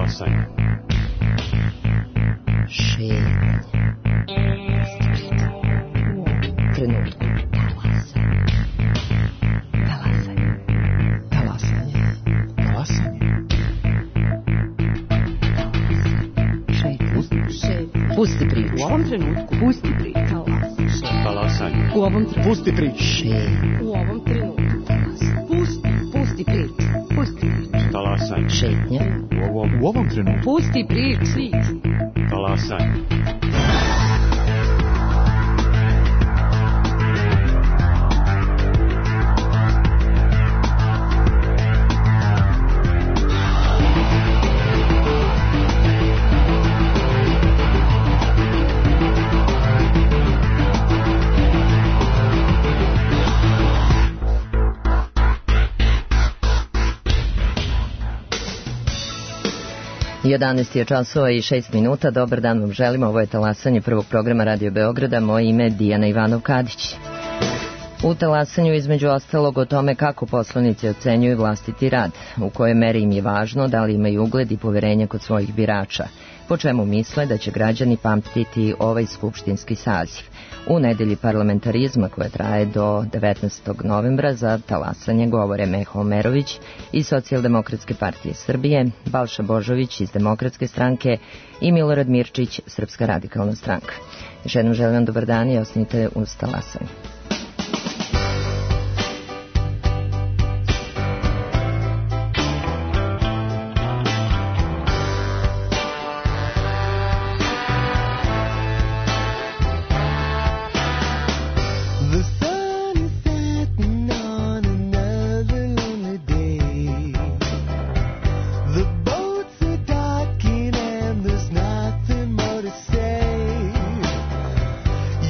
Talasanje. Šetnje. Trenutku. Talasanje. Talasanje. Talasanje. Šetnje. Pusti priču. U ovom trenutku. Pusti priču. Talasanje. U ovom trenutku. Pusti priču. Šetnje. U ovom trenutku. Pusti priču. Pusti priču. Talasanje. Šetnje. U ovom trenutku. Pusti priču. Talasanje. Jedanaest je časova i 6 minuta. Dobar dan vam želimo. Ovo je Talasanje prvog programa Radio Beograda. Moje ime je Dijana Ivanov-Kadić. U Talasanju između ostalog o tome kako poslanici ocenjuju vlastiti rad, u kojoj meri im je važno, da li imaju ugled i poverenje kod svojih birača, po čemu misle da će građani pamtiti ovaj skupštinski saziv. U nedelji parlamentarizma koja traje do 19. novembra za Talasanje govore Meho Omerović iz Socijaldemokratske partije Srbije, Balša Božović iz Demokratske stranke i Milorad Mirčić, Srpska radikalna stranka. Još jednom želim vam dobar dan i ostanite uz Talasanje.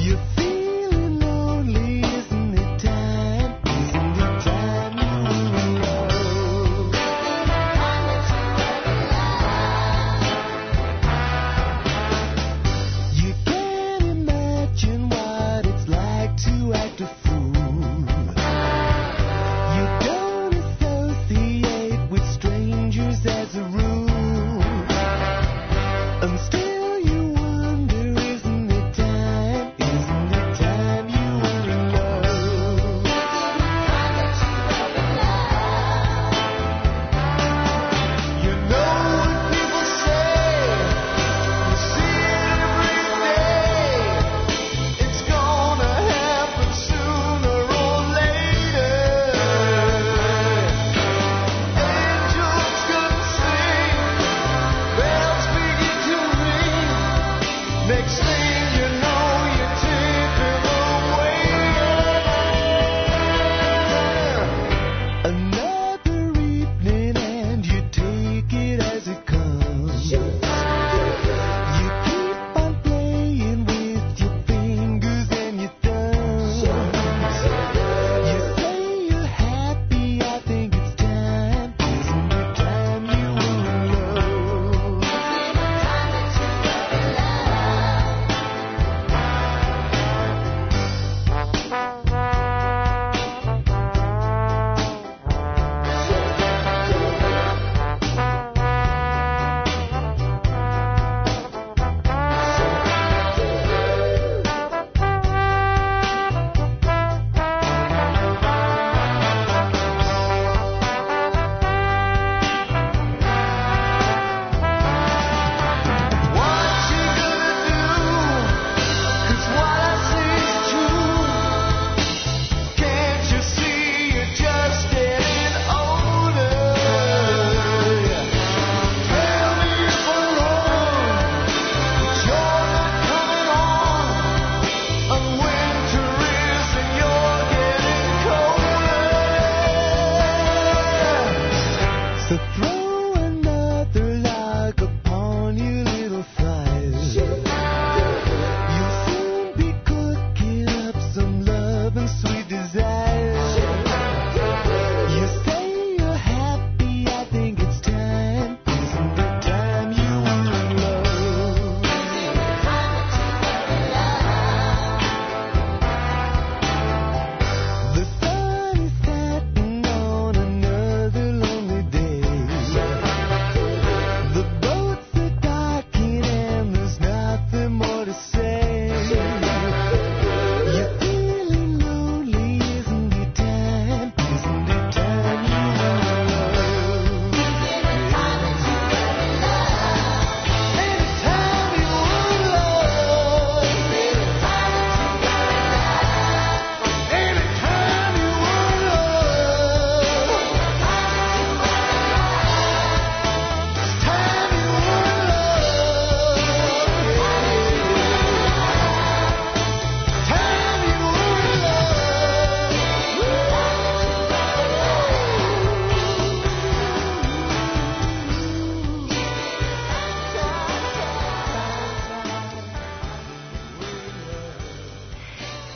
You're feeling lonely.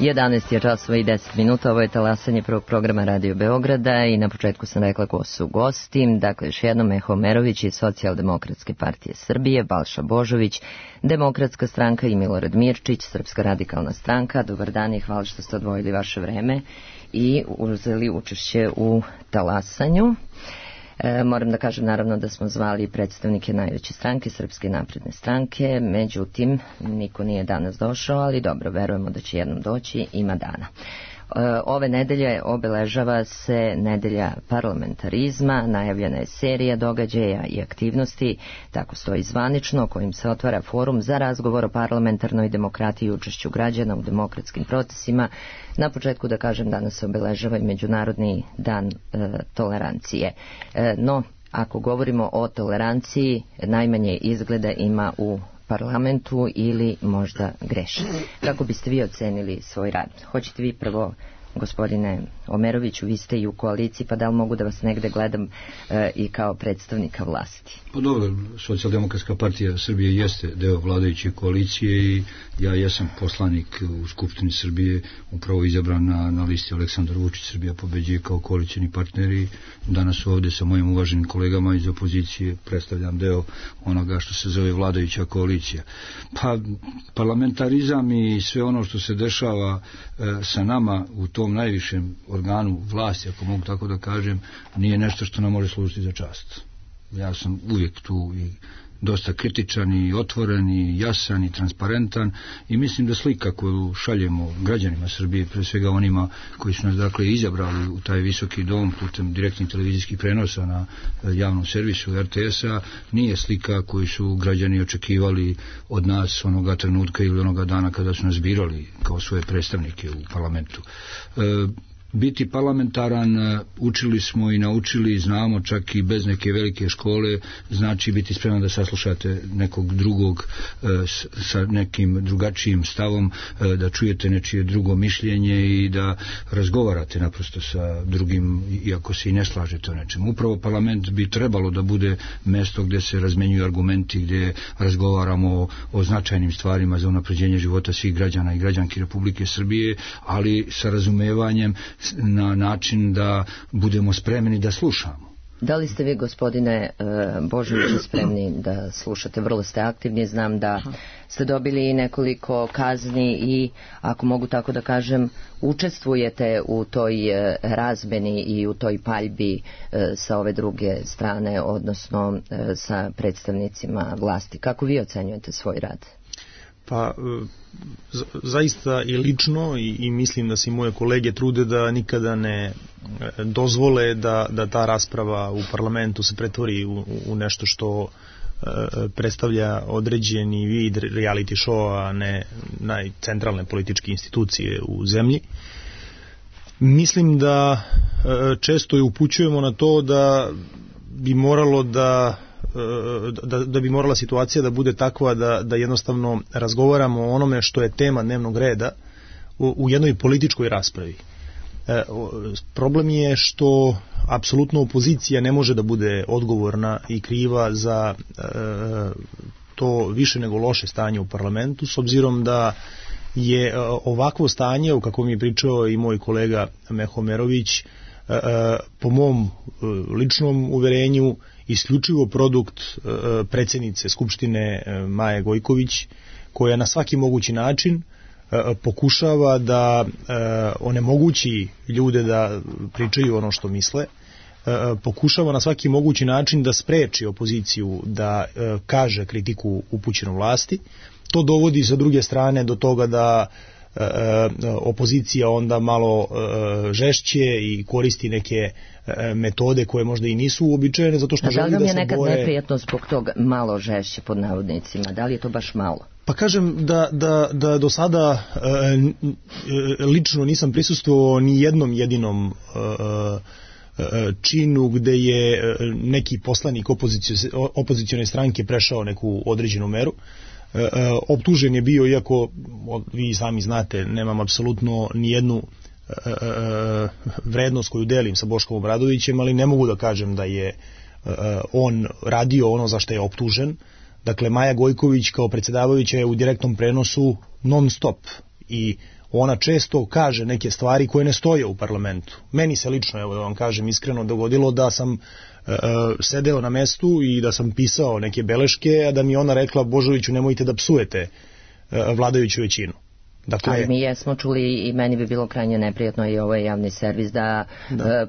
11 je časova i 10 minuta, ovo je talasanje prvog programa Radio Beograda i na početku sam rekla ko su gosti, dakle još jednom Meho Omerović iz Socijaldemokratske partije Srbije, Balša Božović, Demokratska stranka i Milorad Mirčić, Srpska radikalna stranka. Dobar dan i hvala što ste odvojili vaše vreme i uzeli učešće u talasanju. Moram da kažem naravno da smo zvali predstavnike najveće stranke, Srpske napredne stranke, međutim niko nije danas došao, ali dobro, verujemo da će jednom doći, ima dana. Ove nedelje obeležava se nedelja parlamentarizma, najavljena je serija događaja i aktivnosti, tako stoji zvanično, kojim se otvara forum za razgovor o parlamentarnoj demokratiji i učešću građana u demokratskim procesima. Na početku da kažem, danas se obeležava i Međunarodni dan tolerancije. No, ako govorimo o toleranciji, najmanje izgleda ima u parlamentu ili možda greši. Kako biste vi ocenili svoj rad? Hoćete vi prvo, gospodine Omeroviću, vi ste i u koaliciji, pa da li mogu da vas negde gledam i kao predstavnika vlasti? Pa dobro, Socijaldemokratska partija Srbije jeste deo vladajuće koalicije i ja jesam poslanik u Skupštini Srbije, upravo izabran na listi Aleksandar Vučić, Srbija pobeđuje kao koalicijni partner i danas ovde sa mojim uvaženim kolegama iz opozicije predstavljam deo onoga što se zove vladajuća koalicija. Pa parlamentarizam i sve ono što se dešava sa nama u tom najvišem organu vlasti, ako mogu tako da kažem, nije nešto što nam može služiti za čast. Ja sam uvijek tu i dosta kritičan i otvoren i jasan i transparentan i mislim da slika koju šaljemo građanima Srbije, pre svega onima koji su nas dakle izabrali u taj visoki dom putem direktnih televizijskih prenosa na javnom servisu RTS-a, nije slika koju su građani očekivali od nas onoga trenutka ili onoga dana kada su nas birali kao svoje predstavnike u parlamentu. Biti parlamentaran, učili smo i naučili, znamo čak i bez neke velike škole, znači biti spreman da saslušate nekog drugog sa nekim drugačijim stavom, da čujete nečije drugo mišljenje i da razgovarate naprosto sa drugim, iako se i ne slažete o nečemu. Upravo parlament bi trebalo da bude mesto gdje se razmenjuju argumenti, gdje razgovaramo o značajnim stvarima za unapređenje života svih građana i građanki Republike Srbije, ali sa razumevanjem na način da budemo spremni da slušamo. Da li ste vi, gospodine Božoviću, spremni da slušate? Vrlo ste aktivni, znam da ste dobili nekoliko kazni i, ako mogu tako da kažem, učestvujete u toj razmeni i u toj paljbi sa ove druge strane, odnosno sa predstavnicima vlasti. Kako vi ocenjujete svoj rad? Pa zaista i lično i mislim da se i moje kolege trude da nikada ne dozvole da ta rasprava u parlamentu se pretvori u nešto što predstavlja određeni vid reality showa, a ne najcentralne političke institucije u zemlji. Mislim da često i upućujemo na to da bi moralo da bi morala situacija da bude takva da jednostavno razgovaramo o onome što je tema dnevnog reda u jednoj političkoj raspravi. Problem je što apsolutno opozicija ne može da bude odgovorna i kriva za to više nego loše stanje u parlamentu, s obzirom da je ovakvo stanje, o kakvom je pričao i moj kolega Meho Omerović, po mom ličnom uverenju isključivo produkt predsjednice Skupštine Maje Gojković, koja na svaki mogući način pokušava da onemogući ljude da pričaju ono što misle, pokušava na svaki mogući način da spreči opoziciju da kaže kritiku upućenu vlasti. To dovodi sa druge strane do toga da opozicija onda malo žešće i koristi neke metode koje možda i nisu uobičajene, zato što želi da se boje. Da li vam je nekad neprijatno zbog tog malo žešće pod navodnicima? Da li je to baš malo? Pa kažem da do sada lično nisam prisustvovao ni jednom jedinom činu gde je neki poslanik opozicione stranke prešao neku određenu meru. Optužen je bio, iako vi sami znate, nemam apsolutno ni jednu vrednost koju delim sa Boškom Obradovićem, ali ne mogu da kažem da je on radio ono za što je optužen. Dakle, Maja Gojković kao predsjedavajuća je u direktnom prenosu non stop i ona često kaže neke stvari koje ne stoje u parlamentu. Meni se lično, evo da vam kažem iskreno, dogodilo da sam sedeo na mestu i da sam pisao neke beleške, a da mi ona rekla: Božoviću, nemojte da psujete vladajuću većinu. Dakle, ali mi jesmo čuli i meni bi bilo krajnje neprijatno, i ovo je javni servis, da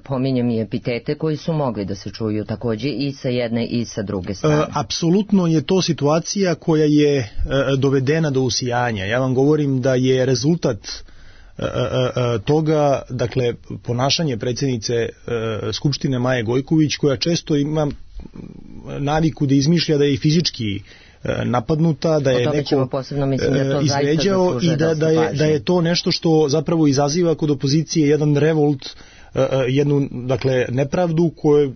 pominjem i epitete koji su mogli da se čuju takođe i sa jedne i sa druge strane. Apsolutno je to situacija koja je dovedena do usijanja. Ja vam govorim da je rezultat toga, dakle, ponašanje predsjednice Skupštine Maje Gojković, koja često ima naviku da izmišlja da je i fizički napadnuta, da je neko izvređao i da je to nešto što zapravo izaziva kod opozicije jedan revolt, jednu, dakle, nepravdu koju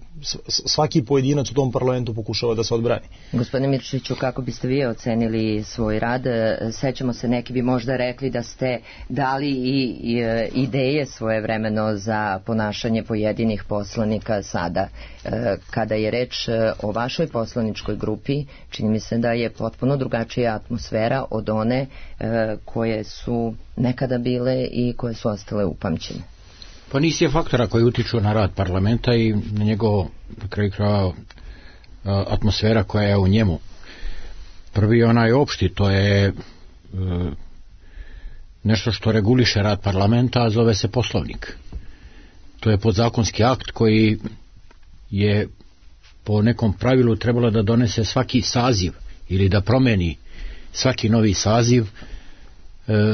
svaki pojedinac u tom parlamentu pokušava da se odbrani. Gospodine Mirčiću, kako biste vi ocenili svoj rad? Sećamo se, neki bi možda rekli da ste dali i ideje svojevremeno za ponašanje pojedinih poslanika sada. Kada je reč o vašoj poslaničkoj grupi, čini mi se da je potpuno drugačija atmosfera od one koje su nekada bile i koje su ostale upamćene. Pa niz je faktora koji utiču na rad parlamenta i na njegov, na kraju krajeva, atmosfera koja je u njemu. Prvi onaj opšti, to je nešto što reguliše rad parlamenta, a zove se Poslovnik. To je podzakonski akt koji je po nekom pravilu trebalo da donese svaki saziv ili da promeni svaki novi saziv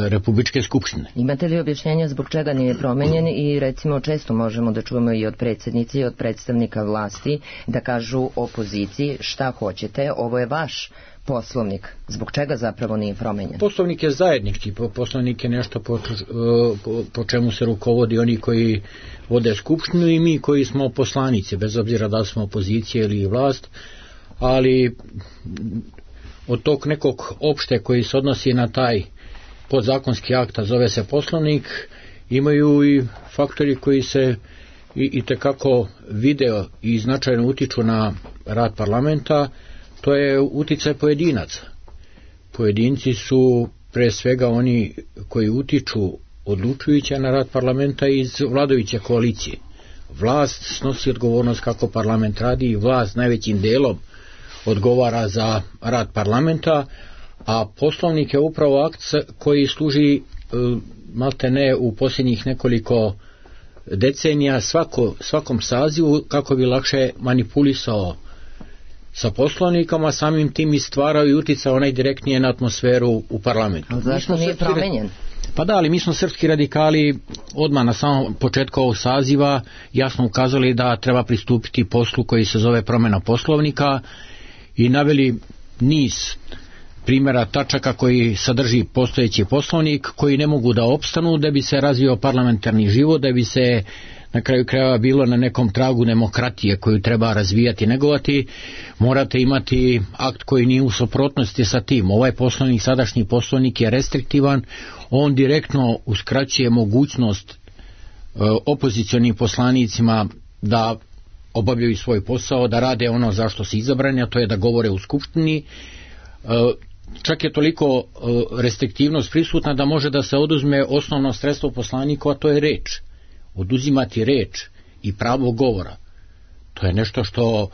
Republičke skupštine. Imate li objašnjenja zbog čega nije promenjen? I recimo često možemo da čujemo i od predsjednice i od predstavnika vlasti da kažu opoziciji: šta hoćete, ovo je vaš Poslovnik. Zbog čega zapravo nije promenjen? Poslovnik je zajednički, Poslovnik je nešto po čemu se rukovodi oni koji vode skupštinu i mi koji smo poslanici, bez obzira da smo opozicija ili vlast, ali od tog nekog opšte koji se odnosi na taj podzakonski akt, a zove se Poslovnik, imaju i faktori koji se i tekako video i značajno utiču na rad parlamenta. To je uticaj pojedinaca. Pojedinci su pre svega oni koji utiču odlučujuće na rad parlamenta iz vladajuće koalicije. Vlast snosi odgovornost kako parlament radi i vlast najvećim delom odgovara za rad parlamenta, a Poslovnik je upravo akt koji služi maltene u posljednjih nekoliko decenija svakom sazivu kako bi lakše manipulisao sa Poslovnikom, a samim tim i stvarao i uticao najdirektnije na atmosferu u parlamentu. Ali zašto nije promenjen? Pa da, ali mi smo srpski radikali odmah na samom početku ovog saziva jasno ukazali da treba pristupiti poslu koji se zove promjena Poslovnika i naveli niz primjera tačaka koji sadrži postojeći Poslovnik, koji ne mogu da opstanu da bi se razvio parlamentarni život, da bi se na kraju krajeva bilo na nekom tragu demokratije koju treba razvijati i negovati. Morate imati akt koji nije u suprotnosti sa tim. Ovaj Poslovnik, sadašnji Poslovnik je restriktivan, on direktno uskraćuje mogućnost opozicionim poslanicima da obavljaju svoj posao, da rade ono za što su izabrani, a to je da govore u skupštini. Čak je toliko restriktivnost prisutna da može da se oduzme osnovno sredstvo poslaniku, a to je reč. Oduzimati reč i pravo govora. To je nešto što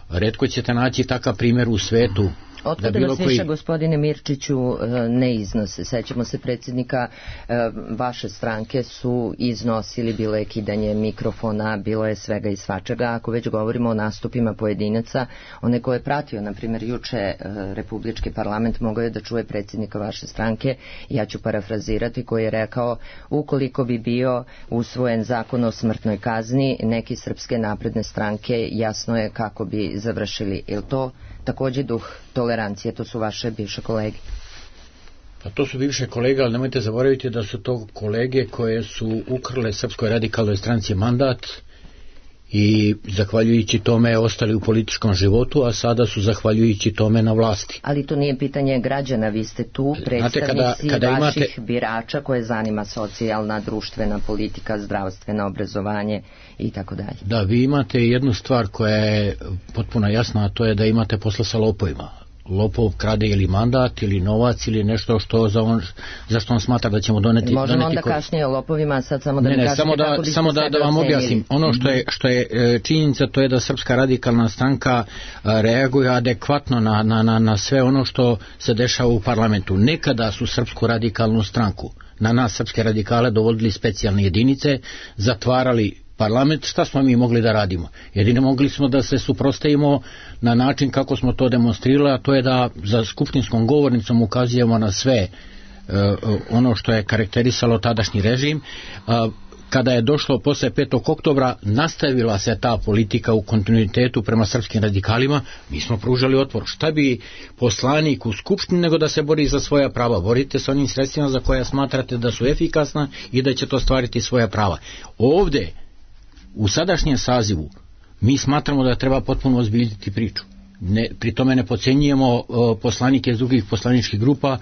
retko ćete naći takav primjer u svetu. Otkada vas više, gospodine Mirčiću, ne iznose? Sećamo se predsjednika vaše stranke su iznosili, bilo je kidanje mikrofona, bilo je svega i svačega. Ako već govorimo o nastupima pojedinaca, one koje je pratio, na primjer, juče Republički parlament, mogao je da čuje predsjednika vaše stranke, ja ću parafrazirati, koji je rekao: ukoliko bi bio usvojen zakon o smrtnoj kazni, neki Srpske napredne stranke, jasno je kako bi završili. Je li to takođe duh tolerancije? To su vaše bivše kolege. Pa to su bivše kolege, ali nemojte zaboraviti da su to kolege koje su ukrale Srpskoj radikalnoj stranci mandat i zahvaljujući tome ostali u političkom životu, a sada su zahvaljujući tome na vlasti. Ali to nije pitanje građana, vi ste tu predstavnici vaših birača koje zanima socijalna, društvena politika, zdravstveno obrazovanje i tako dalje. Da, vi imate jednu stvar koja je potpuno jasna, a to je da imate posla sa lopovima. lopov krade ili mandat ili novac ili nešto za što on smatra da ćemo doneti. Možemo onda kašnije o lopovima, sad samo da ne kažete kako biste samo da vam objasnim. Ono što je činjenica, to je da Srpska radikalna stranka reaguje adekvatno na sve ono što se dešava u parlamentu. Nekada su Srpsku radikalnu stranku, na nas srpske radikale, dovodili specijalne jedinice, zatvarali parlament. Šta smo mi mogli da radimo? Jedino mogli smo da se suprotstavimo na način kako smo to demonstrirali, a to je da za skupštinskom govornicom ukazujemo na sve ono što je karakterisalo tadašnji režim. Kada je došlo posle 5. oktobra, nastavila se ta politika u kontinuitetu prema srpskim radikalima. Mi smo pružali otpor. Šta bi poslanik u skupštini nego da se bori za svoja prava? Borite se onim sredstvima za koja smatrate da su efikasna i da će to stvariti svoja prava. Ovde, u sadašnjem sazivu, mi smatramo da treba potpuno ozbiljiti priču. Pri tome ne podcenjujemo poslanike iz drugih poslaničkih grupa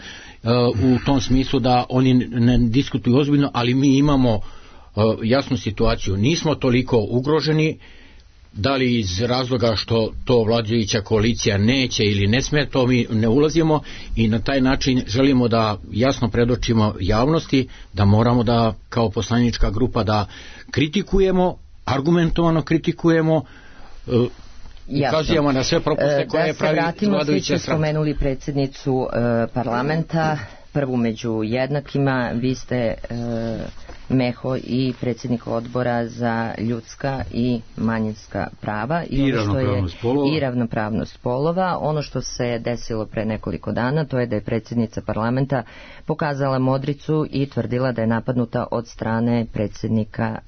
u tom smislu da oni ne diskutuju ozbiljno, ali mi imamo jasnu situaciju. Nismo toliko ugroženi, da li iz razloga što to vladajuća koalicija neće ili ne sme, to mi ne ulazimo i na taj način želimo da jasno predočimo javnosti da moramo da kao poslanička grupa da kritikujemo, argumentovano kritikujemo, ukazujemo na sve propuste koje pravi vladajuća stranka. Da se vratimo, svi ste spomenuli predsjednicu parlamenta, prvu među jednakima, vi ste Meho i predsjednik odbora za ljudska i manjinska prava i ravnopravnost polova. Ono što se desilo pre nekoliko dana, to je da je predsjednica parlamenta pokazala modricu i tvrdila da je napadnuta od strane predsjednika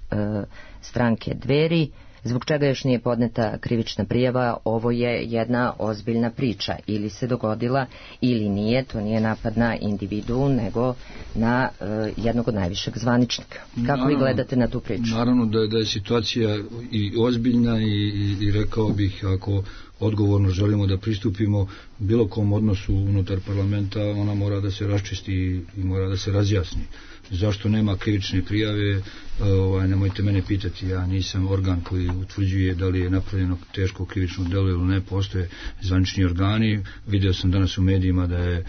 stranke Dveri. Zbog čega još nije podneta krivična prijava? Ovo je jedna ozbiljna priča. Ili se dogodila ili nije. To nije napad na individu, nego na jednog od najvišeg zvaničnika. Kako vi gledate na tu priču? Naravno da je situacija i ozbiljna i rekao bih, ako odgovorno želimo da pristupimo bilo kom odnosu unutar parlamenta, ona mora da se raščisti i mora da se razjasni. Zašto nema krivične prijave, nemojte mene pitati, ja nisam organ koji utvrđuje da li je napravljeno teško krivično delo ili ne, postoje zvanični organi. Video sam danas u medijima da je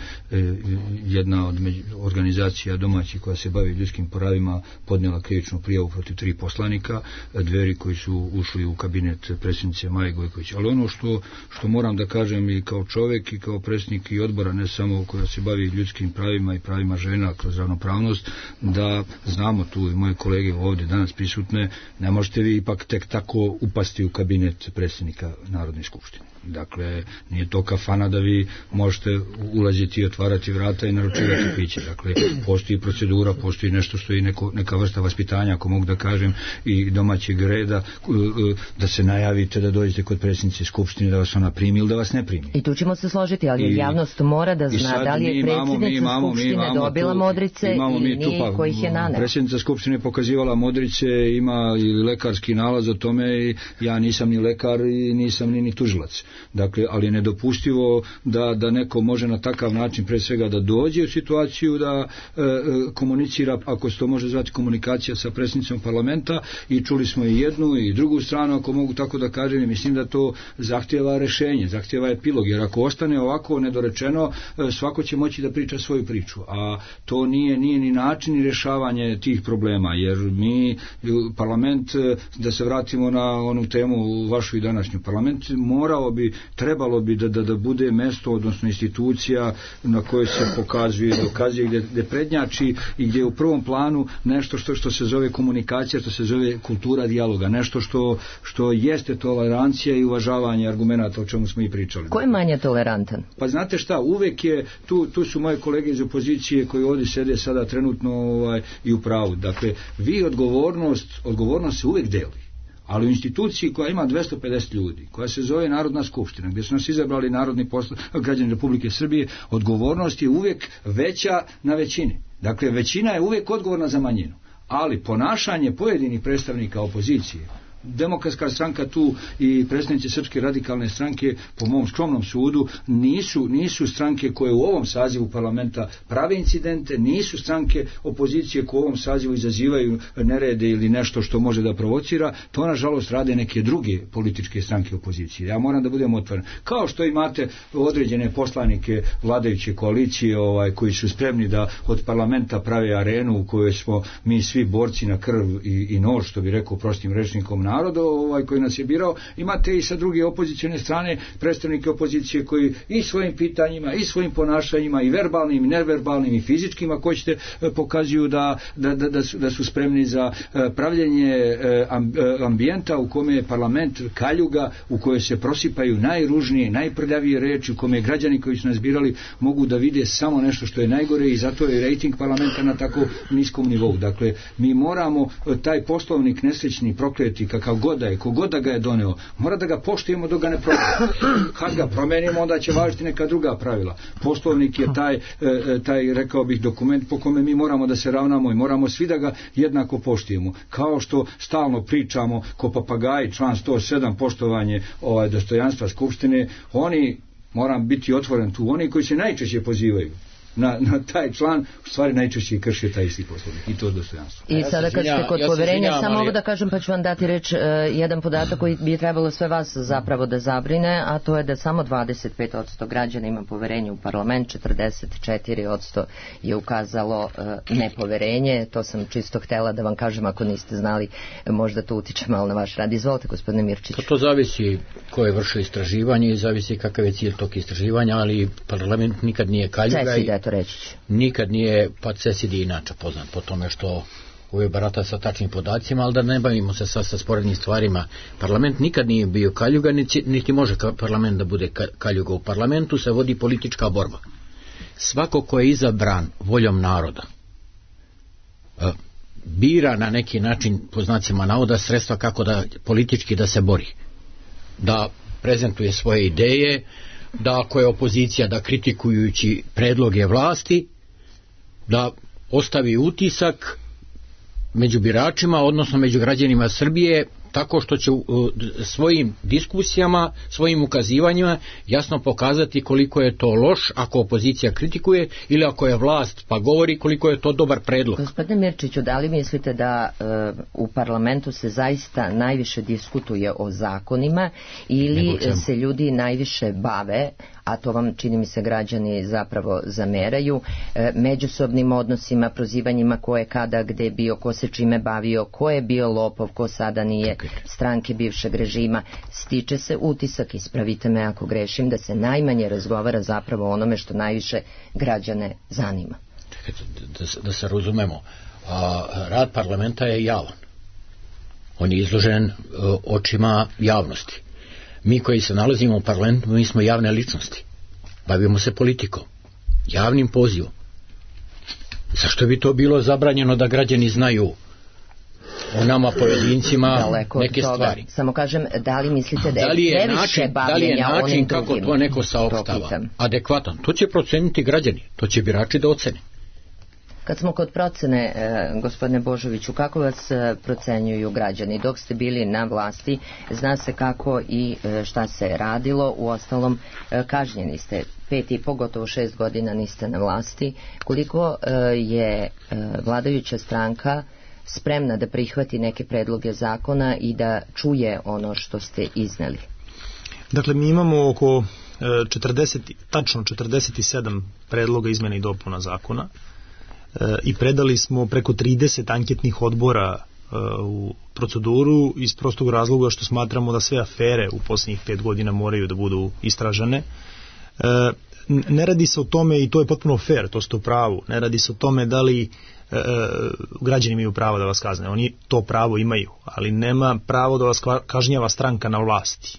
jedna od organizacija domaćih koja se bavi ljudskim pravima podnijela krivičnu prijavu protiv 3 poslanika Dveri koji su ušli u kabinet predsjednice Maje Gojković. Ali ono što moram da kažem i kao čovjek i kao predsjednik i odbora, ne samo koja se bavi ljudskim pravima i pravima žena kroz ravnopravnost, da znamo tu i moje kolege ovdje danas prisutne, ne možete vi ipak tek tako upasti u kabinet predsjednika Narodne skupštine. Dakle, nije to kafana da vi možete ulaziti i otvarati vrata i naručivati piće. Dakle, postoji procedura, postoji nešto što je neka vrsta vaspitanja, ako mogu da kažem, i domaćeg reda, da se najavite da dođete kod predsjednice skupštine, da vas ona primi ili da vas ne primi. I tu ćemo se složiti, ali javnost mora da zna da li je predsjednica skupštine dobila modrice ili nije, kojih je naneo. Predsjednica skupštine pokazivala modrice, ima i lekarski nalaz o tome, i ja nisam ni lekar i nisam ni tužilac. Dakle, ali je nedopustivo da neko može na takav način pre svega da dođe u situaciju da komunicira, ako se to može zvati komunikacija sa predsjednicom parlamenta, i čuli smo i jednu i drugu stranu, ako mogu tako da kažem, i mislim da to zahtjeva rešenje, zahtjeva epilog, jer ako ostane ovako nedorečeno, svako će moći da priča svoju priču, a to nije ni način ni rešavanje tih problema, jer mi parlament, da se vratimo na onu temu vašu i današnju, parlament trebalo bi da bude mesto, odnosno institucija na kojoj se dokazuje, gdje prednjači i gdje je u prvom planu nešto što se zove komunikacija, što se zove kultura dijaloga, nešto što jeste tolerancija i uvažavanje argumenata, o čemu smo i pričali. Ko je manje tolerantan? Pa znate šta, uvek je, tu su moje kolege iz opozicije koji ovdje sede sada trenutno i u pravu. Dakle, vi odgovornost se uvek deli. Ali u instituciji koja ima 250 ljudi, koja se zove Narodna skupština, gdje su nas izabrali građani Republike Srbije, odgovornost je uvijek veća na većini. Dakle, većina je uvijek odgovorna za manjinu. Ali ponašanje pojedinih predstavnika opozicije Demokratska stranka tu i predstavnici Srpske radikalne stranke, po mom skromnom sudu, nisu stranke koje u ovom sazivu parlamenta prave incidente, nisu stranke opozicije koje u ovom sazivu izazivaju nerede ili nešto što može da provocira. To nažalost rade neke druge političke stranke opozicije. Ja moram da budem otvoren. Kao što imate određene poslanike vladajuće koalicije koji su spremni da od parlamenta prave arenu u kojoj smo mi svi borci na krv i nož, što bi rekao prostim rečnikom naroda koji nas je birao. Imate i sa druge opozicione strane predstavnike opozicije koji i svojim pitanjima i svojim ponašanjima i verbalnim i neverbalnim i fizičkim, ako hoćete, pokazuju da su spremni za pravljenje ambijenta u kome je parlament kaljuga, u kojoj se prosipaju najružnije, najprljavije reči, u kome građani koji su nas birali mogu da vide samo nešto što je najgore i zato je rejting parlamenta na tako niskom nivou. Dakle, mi moramo taj poslovnik nesrećni, prokleti, kakav god da je, kogod da ga je doneo, mora da ga poštujemo dok ga ne promenimo. Kad ga promenimo, onda će važiti neka druga pravila. Poslovnik je taj, rekao bih, dokument po kome mi moramo da se ravnamo i moramo svi da ga jednako poštujemo. Kao što stalno pričamo ko papagaji, član 107, poštovanje dostojanstva Skupštine, oni, moram biti otvoren tu, oni koji se najčešće pozivaju na taj član, u stvari najčešće krše taj isti poslovnik i to dostojanstvo. I sada kad ste kod poverenja, samo ovo da kažem, pa ću vam dati reč, jedan podatak koji bi trebalo sve vas zapravo da zabrine, a to je da samo 25% građana ima poverenje u parlament, 44% je ukazalo nepoverenje. To sam čisto htela da vam kažem, ako niste znali, možda to utiče malo na vaš rad. Izvolite, gospodine Mirčiću. To zavisi ko je vršio istraživanje i zavisi kakav je cilj tog istraživanja, ali parlament nikad nije kaljuga. Nikad nije, pa CESID je inače poznat po tome što uvijek barata sa tačnim podacima, ali da ne bavimo se sa sporednim stvarima. Parlament nikad nije bio kaljuga, niti može parlament da bude kaljuga. U parlamentu se vodi politička borba. Svako ko je izabran voljom naroda bira na neki način, po znacima navoda, sredstva kako da politički da se bori, da prezentuje svoje ideje, da ako je opozicija, da kritikujući predloge vlasti, da ostavi utisak među biračima, odnosno među građanima Srbije, tako što će svojim diskusijama, svojim ukazivanjima jasno pokazati koliko je to loš ako opozicija kritikuje ili ako je vlast pa govori koliko je to dobar predlog. Gospodine Mirčiću, da li mislite da u parlamentu se zaista najviše diskutuje o zakonima ili se ljudi najviše bave, a to vam čini mi se građani zapravo zameraju, međusobnim odnosima, prozivanjima ko je kada gde bio, ko se čime bavio, ko je bio lopov, ko sada nije, stranke bivšeg režima. Stiče se utisak, ispravite me ako grešim, da se najmanje razgovara zapravo o onome što najviše građane zanima. Da se razumemo, rad parlamenta je javan. On je izložen očima javnosti. Mi koji se nalazimo u parlamentu, mi smo javne ličnosti. Bavimo se politikom, javnim pozivom. Zašto bi to bilo zabranjeno da građani znaju o nama pojedincima neke stvari? Samo kažem, da li mislite da je previše bavljenja onim drugim? Da li je način kako to neko saopštava adekvatan? To će proceniti građani, to će birači da ocene. Kad smo kod procene, gospodine Božoviću, kako vas procenjuju građani? Dok ste bili na vlasti, zna se kako i šta se radilo, uostalom kažnjeni ste 5,5, gotovo 6 godina niste na vlasti. Koliko je vladajuća stranka spremna da prihvati neke predloge zakona i da čuje ono što ste izneli? Dakle, mi imamo oko tačno 47 predloga izmjena i dopuna zakona i predali smo preko 30 anketnih odbora u proceduru iz prostog razloga što smatramo da sve afere u posljednjih 5 godina moraju da budu istražene. Ne radi se o tome, i to je potpuno fair, to ste u pravu, ne radi se o tome da li građani imaju pravo da vas kazne. Oni to pravo imaju, ali nema pravo da vas kažnjava stranka na vlasti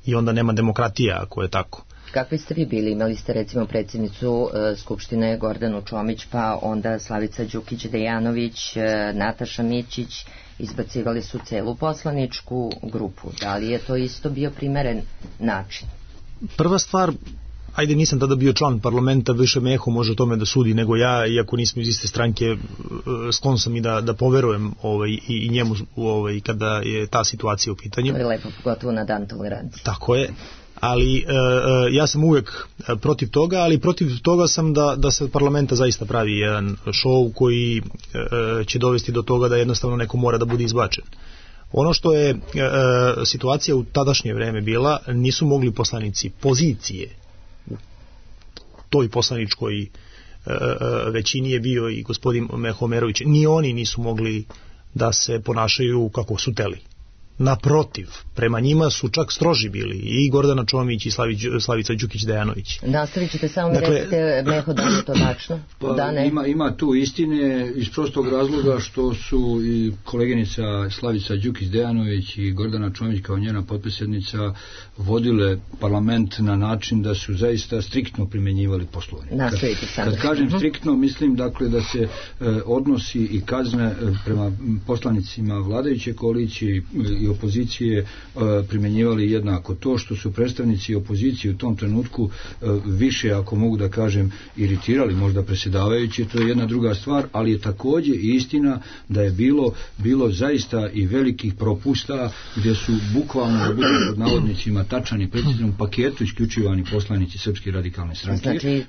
i onda nema demokratija ako je tako. Kakvi ste vi bili? Imali ste recimo predsjednicu Skupštine Gordanu Čomić, pa onda Slavica Đukić-Dejanović, Nataša Mićić, izbacivali su celu poslaničku grupu. Da li je to isto bio primeren način? Prva stvar, ajde, nisam tada bio član parlamenta, više Meho može o tome da sudi nego ja, iako nismo iz iste stranke, sklon sam i da poverujem i njemu kada je ta situacija u pitanju. To je lepo, pogotovo na dan tolerancije. Tako je, ali ja sam uvek protiv toga, ali protiv toga sam da se od parlamenta zaista pravi jedan show koji će dovesti do toga da jednostavno neko mora da bude izbačen. Ono što je situacija u tadašnje vreme bila, nisu mogli poslanici pozicije, u toj poslaničkoj većini je bio i gospodin Meho Omerović, ni oni nisu mogli da se ponašaju kako su teli. Naprotiv, prema njima su čak stroži bili i Gordana Čomić i Slavica Đukić-Dejanović. Nastavit ćete, samo mi recite, Meho, da je to tačno? Da, ne? Ima tu istine iz prostog razloga što su i koleginica Slavica Đukić-Dejanović i Gordana Čomić kao njena potpredsjednica vodile parlament na način da su zaista striktno primjenjivali Poslovnik. Kad kažem striktno, mislim dakle da se odnosi i kazne prema poslanicima vladajuće koalicije i opozicije primjenjivali jednako. To što su predstavnici opozicije u tom trenutku više, ako mogu da kažem, iritirali možda predsjedavajući, to je jedna druga stvar, ali je također i istina da je bilo zaista i velikih propusta gdje su bukvalno, da budem pod navodnicima, tačan i preciznom paketu isključivani poslanici Srpske radikalne stranke. Znači,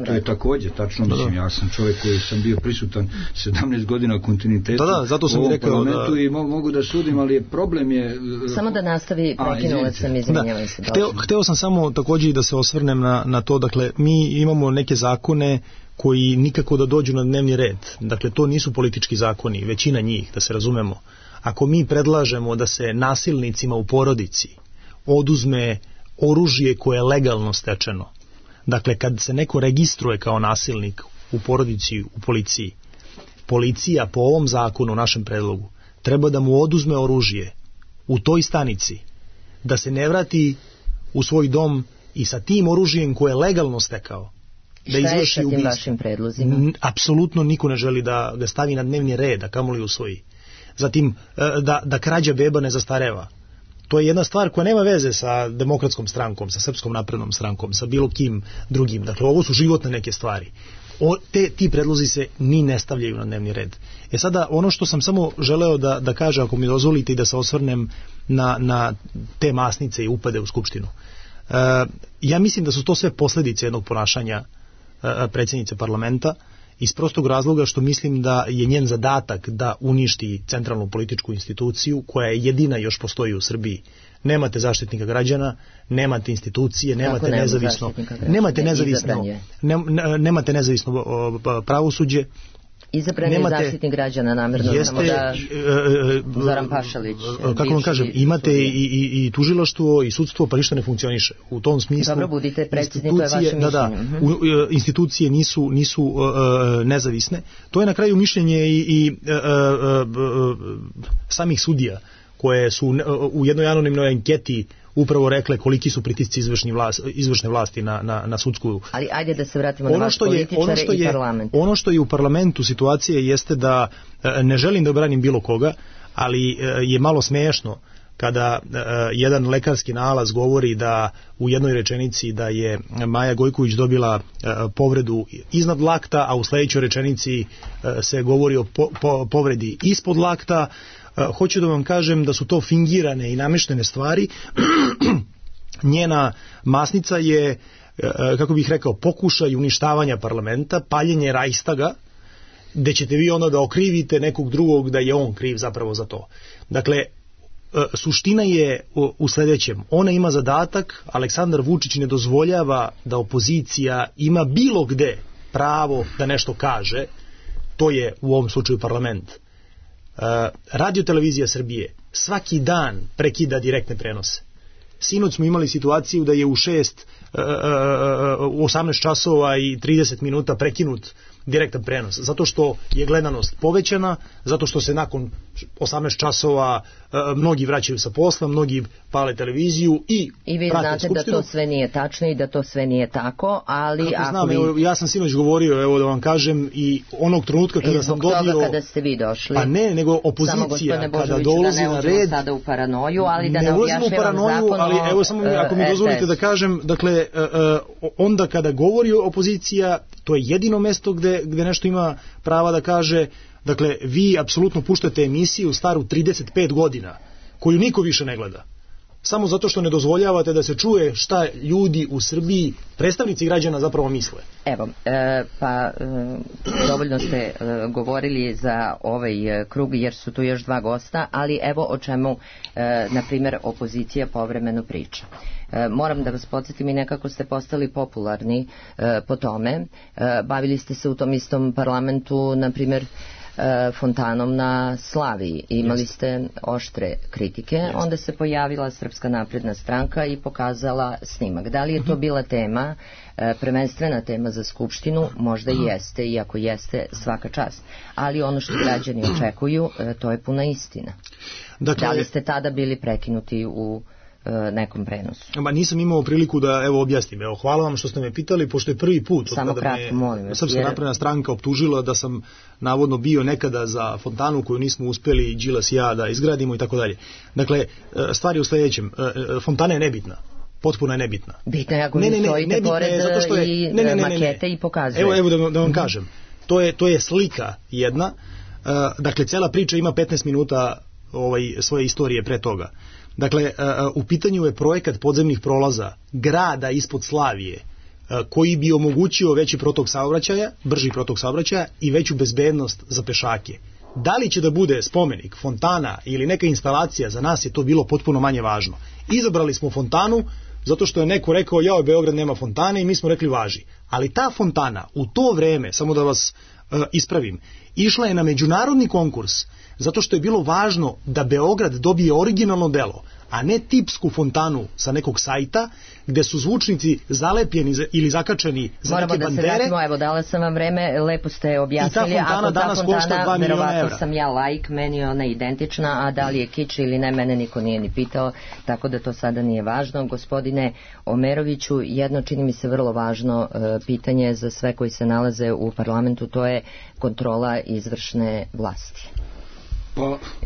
to je također tačno. Mislim, ja sam čovjek koji sam bio prisutan 17 godina u kontinuitetu zato sam u rekao parlamentu i mogu da sudim, ali problem je... Samo da nastavi, prekinula sam, izvinjavam se. Hteo sam samo također i da se osvrnem na to, dakle, mi imamo neke zakone koji nikako da dođu na dnevni red. Dakle, to nisu politički zakoni, većina njih, da se razumemo. Ako mi predlažemo da se nasilnicima u porodici oduzme oružje koje je legalno stečeno, dakle, kad se neko registruje kao nasilnik u porodici, u policiji, policija po ovom zakonu, našem predlogu, treba da mu oduzme oružje u toj stanici, da se ne vrati u svoj dom i sa tim oružjem koje je legalno stekao, da izvrši ubistvo. Šta je sa tim vašim predlozima? Apsolutno niko ne želi da ga stavi na dnevni red, a kamoli usvoji. Zatim, da krađa beba ne zastareva. To je jedna stvar koja nema veze sa Demokratskom strankom, sa Srpskom naprednom strankom, sa bilo kim drugim. Dakle, ovo su životne neke stvari. Ti predlozi se ni ne stavljaju na dnevni red. Sada, ono što sam samo želeo da kažem, ako mi dozvolite, i da se osvrnem na te masnice i upade u Skupštinu. Ja mislim da su to sve posljedice jednog ponašanja predsjednice parlamenta, iz prostog razloga što mislim da je njen zadatak da uništi centralnu političku instituciju koja je jedina još postoji u Srbiji. Nemate zaštitnika građana, nemate institucije, nemate nezavisno pravosuđe. Izabran je zaštitnik građana, namjerno samo da Zoran Pašalić. Kako vam kažem, imate i tužilaštvo i sudstvo, pa ništa ne funkcioniše. U tom smislu... Dobro, budite precizni, to je vaše mišljenje. Institucije nisu nezavisne. To je na kraju mišljenje i samih sudija, koje su u jednoj anonimnoj anketi upravo rekle koliki su pritisci izvršne vlasti na sudsku. Ali ajde da se vratimo na vaš političare i parlament. Ono što je u parlamentu situacija jeste da, ne želim da branim bilo koga, ali je malo smiješno kada jedan lekarski nalaz govori da u jednoj rečenici da je Maja Gojković dobila povredu iznad lakta, a u sljedećoj rečenici se govori o povredi ispod lakta. Hoću da vam kažem da su to fingirane i nameštene stvari. Njena masnica je, kako bih rekao, pokušaj uništavanja parlamenta, paljenje Rajstaga, gde ćete vi onda da okrivite nekog drugog da je on kriv zapravo za to. Dakle, suština je u sljedećem. Ona ima zadatak, Aleksandar Vučić ne dozvoljava da opozicija ima bilo gde pravo da nešto kaže, to je u ovom slučaju parlament. Radio Televizija Srbije svaki dan prekida direktne prenose. Sinoć smo imali situaciju da je u 18 časova i 30 minuta prekinut direktan prenos, zato što je gledanost povećana, zato što se nakon 18 časova, mnogi vraćaju sa posla, mnogi pale televiziju i vi znate skupštinu. da to sve nije tačno i da to sve nije tako, ali kako znam, evo, ja sam sinoć govorio, evo da vam kažem, i onog trenutka kada sam dobio... I zbog toga kada ste vi došli. Pa ne, nego opozicija kada dolazi na red... sada u paranoju, ali da ne objašnjavam zakon. Ali evo samo ako mi dozvolite da kažem, dakle, onda kada govori opozicija, to je jedino mesto gde nešto ima prava da kaže. Dakle, vi apsolutno puštate emisiju staru 35 godina, koju niko više ne gleda. Samo zato što ne dozvoljavate da se čuje šta ljudi u Srbiji, predstavnici građana, zapravo misle. Evo, dovoljno ste govorili za ovaj krug, jer su tu još dva gosta, ali evo o čemu, na primjer, opozicija povremeno priča. Moram da vas podsjetim i nekako ste postali popularni po tome. Bavili ste se u tom istom parlamentu, na primjer, fontanom na Slaviji. Imali ste oštre kritike, onda se pojavila Srpska napredna stranka i pokazala snimak. Da li je to bila tema, prvenstvena tema za Skupštinu? Možda i jeste, iako jeste, svaka čast. Ali ono što građani očekuju, to je puna istina. Dakle, da li ste tada bili prekinuti u nekom prenosu? Nisam imao priliku da objasnim. Hvala vam što ste me pitali, pošto je prvi put samo kratko, molim vas, Srpska napredna stranka optužila da sam navodno bio nekada za fontanu koju nismo uspeli Đilas i ja da izgradimo i tako dalje. Dakle, stvar je u sledećem. Fontana je nebitna. Potpuno je nebitna. Bitna je ako vi stojite pored i makete i pokazuje. Evo da vam kažem. To je slika jedna. Dakle, cela priča ima 15 minuta svoje istorije pre toga. Dakle, u pitanju je projekat podzemnih prolaza grada ispod Slavije, koji bi omogućio veći protok saobraćaja, brži protok saobraćaja i veću bezbednost za pešake. Da li će da bude spomenik, fontana ili neka instalacija, za nas je to bilo potpuno manje važno. Izabrali smo fontanu zato što je neko rekao, jao, Beograd nema fontane, i mi smo rekli važi. Ali ta fontana u to vreme, samo da vas ispravim, išla je na međunarodni konkurs zato što je bilo važno da Beograd dobije originalno delo, a ne tipsku fontanu sa nekog sajta gde su zvučnici zalepljeni ili zakačeni za neke bandere. Moramo da se vratimo, evo, dala sam vam vreme, lepo ste objasnili. I ta fontana danas košta 2 miliona evra. Sam ja laik, meni je ona identična, a da li je kič ili ne, mene niko nije ni pitao, tako da to sada nije važno. Gospodine Omeroviću, jedno čini mi se vrlo važno pitanje za sve koji se nalaze u parlamentu, to je kontrola izvršne vlasti.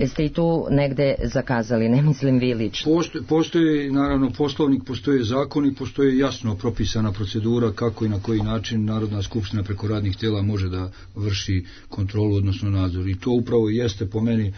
Jeste i tu negde zakazali, ne mislim vi lično? Postoji naravno poslovnik, postoje zakoni, postoji jasno propisana procedura kako i na koji način Narodna skupština preko radnih tela može da vrši kontrolu, odnosno nadzor. I to upravo jeste po meni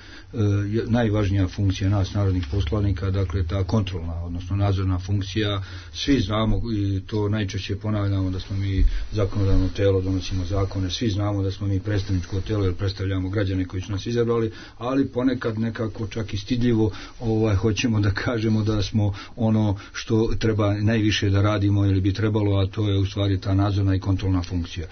najvažnija funkcija nas, narodnih poslanika, dakle ta kontrolna, odnosno nadzorna funkcija. Svi znamo, i to najčešće ponavljamo, da smo mi zakonodavno telo, donosimo zakone, svi znamo da smo mi predstavničko telo jer predstavljamo građane koji su nas izabrali, ali ponekad nekako čak i stidljivo hoćemo da kažemo da smo ono što treba najviše da radimo ili bi trebalo, a to je u stvari ta nadzorna i kontrolna funkcija.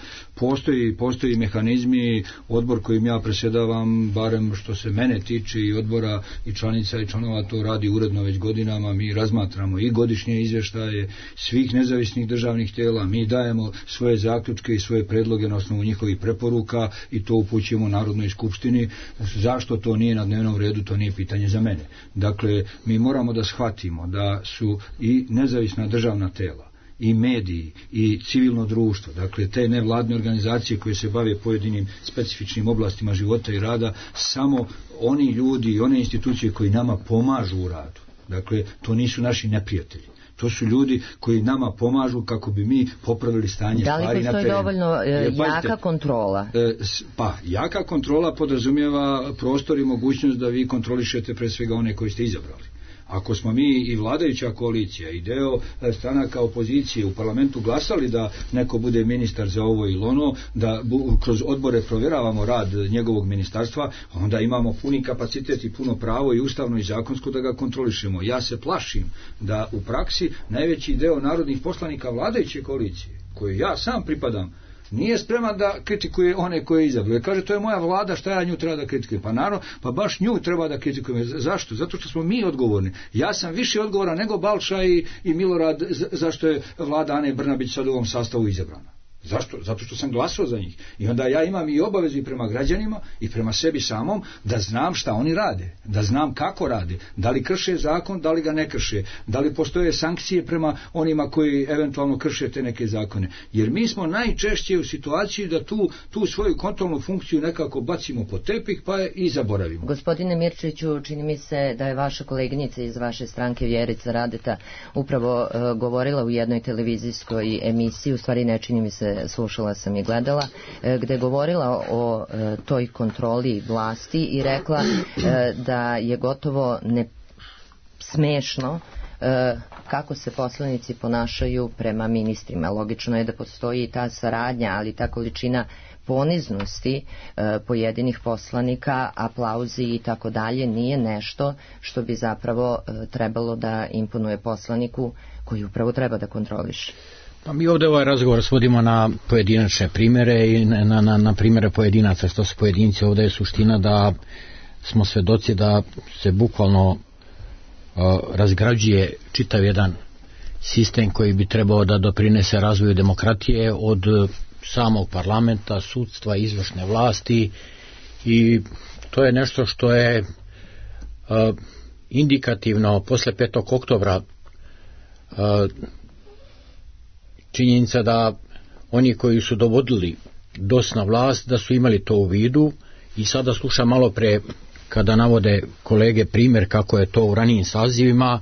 Postoji mehanizmi, odbor kojim ja predsjedavam, barem što se mene tiče i odbora i članica i članova, to radi uredno već godinama. Mi razmatramo i godišnje izvještaje svih nezavisnih državnih tela, mi dajemo svoje zaključke i svoje predloge na osnovu njihovih preporuka i to upućujemo Narodnoj skupštini. Zašto to nije na dnevnom redu, to nije pitanje za mene. Dakle, mi moramo da shvatimo da su i nezavisna državna tela, i mediji, i civilno društvo, dakle te nevladne organizacije koje se bave pojedinim specifičnim oblastima života i rada, samo oni ljudi i one institucije koji nama pomažu u radu. Dakle, to nisu naši neprijatelji. To su ljudi koji nama pomažu kako bi mi popravili stanje stvari na terenu. Da li postoji dovoljno jaka kontrola? Jaka kontrola podrazumijeva prostor i mogućnost da vi kontrolišete pre svega one koji ste izabrali. Ako smo mi i vladajuća koalicija i deo stranaka opozicije u parlamentu glasali da neko bude ministar za ovo ili ono, da kroz odbore provjeravamo rad njegovog ministarstva, onda imamo puni kapacitet i puno pravo i ustavno i zakonsko da ga kontrolišemo. Ja se plašim da u praksi najveći deo narodnih poslanika vladajuće koalicije, koju ja sam pripadam, nije spreman da kritikuje one koje je izabrao. Kaže, to je moja vlada, šta ja nju treba da kritikujem? Pa naravno, pa baš nju treba da kritikujem. Zašto? Zato što smo mi odgovorni. Ja sam više odgovoran nego Balša i Milorad zašto je vlada Ane Brnabić sad u ovom sastavu izabrana. Zašto? Zato što sam glasao za njih. I onda ja imam i obavezu i prema građanima i prema sebi samom da znam šta oni rade, da znam kako rade, da li krše zakon, da li ga ne krše, da li postoje sankcije prema onima koji eventualno krše te neke zakone. Jer mi smo najčešće u situaciji da tu svoju kontrolnu funkciju nekako bacimo pod tepih pa je i zaboravimo. Gospodine Mirčiću, čini mi se da je vaša koleginica iz vaše stranke Vjerica Radeta upravo govorila u jednoj televizijskoj emisiji, u stvari ne čini mi se, slušala sam i gledala, gde je govorila o toj kontroli vlasti i rekla da je gotovo smešno kako se poslanici ponašaju prema ministrima. Logično je da postoji ta saradnja, ali ta količina poniznosti pojedinih poslanika, aplauzi i tako dalje nije nešto što bi zapravo trebalo da imponuje poslaniku koji upravo treba da kontroliše. Pa mi ovdje ovaj razgovor svodimo na pojedinačne primjere i na primjere pojedinaca, što su pojedinci. Ovdje je suština da smo svedoci da se bukvalno razgrađuje čitav jedan sistem koji bi trebao da doprinese razvoju demokratije od samog parlamenta, sudstva, izvršne vlasti, i to je nešto što je indikativno posle 5. oktobra. Činjenica da oni koji su dovodili DOS na vlast da su imali to u vidu, i sada slušam malo pre kada navode kolege primjer kako je to u ranijim sazivima.